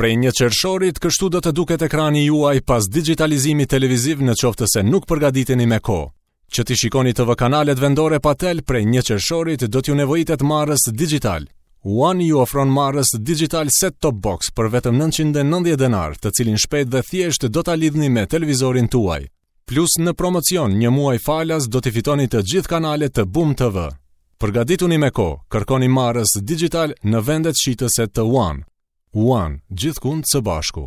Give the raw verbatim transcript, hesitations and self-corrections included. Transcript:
Prej një qershorit, kështu do të duket ekrani juaj pas digitalizimit televiziv në qoftë se nuk përgatiteni me kohë. Që t'i shikoni T V kanalet vendore pa tel, prej një qershorit do t'ju nevojitet marrës digital. One ju ofron marrës digital set-top box për vetëm nëntëqind e nëntëdhjetë denar, të cilin shpejt dhe thjesht do ta lidhni me televizorin tuaj. Plus në promocion, një muaj falas do t'i fitoni të gjithë kanalet të Boom T V. Përgatituni me kohë, kërkoni marrës digital në vendet shitëse të One. One, gjithkund së bashku.